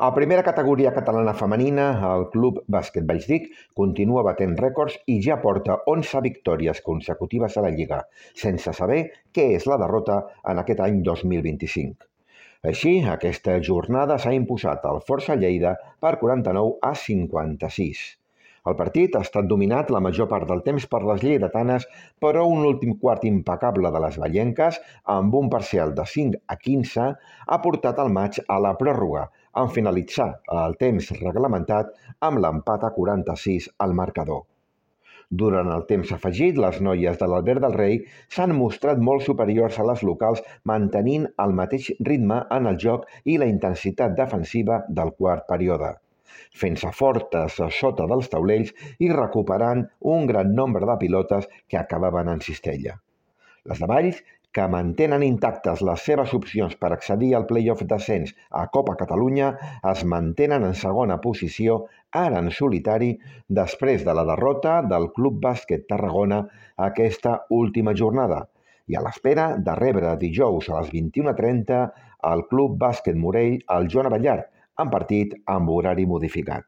A primera categoria catalana femenina, el Club Bàsquet Vallsdic continua batent rècords i ja porta 11 victòries consecutives a la Lliga, sense saber què és la derrota en aquest any 2025. Així, aquesta jornada s'ha imposat el Força Lleida per 49-56. El partit ha estat dominat la major part del temps per les lleidatanes, però un últim quart impecable de les vallenques, amb un parcial de 5-15, ha portat el maig a la pròrroga, en finalitzar el temps reglamentat amb l'empat a 46 al marcador. Durant el temps afegit, les noies de l'Albert del Rei s'han mostrat molt superiors a les locals, mantenint el mateix ritme en el joc i la intensitat defensiva del quart període, fent-se fortes a sota dels taulells i recuperant un gran nombre de pilotes que acabaven en cistella. Les de Valls, que mantenen intactes les seves opcions per accedir al play-off d'ascens a Copa Catalunya, es mantenen en segona posició, ara en solitari, després de la derrota del Club Bàsquet Tarragona aquesta última jornada, i a l'espera de rebre dijous a les 21:30 al Club Bàsquet Morell al Joan Abellart, en partit amb horari modificat.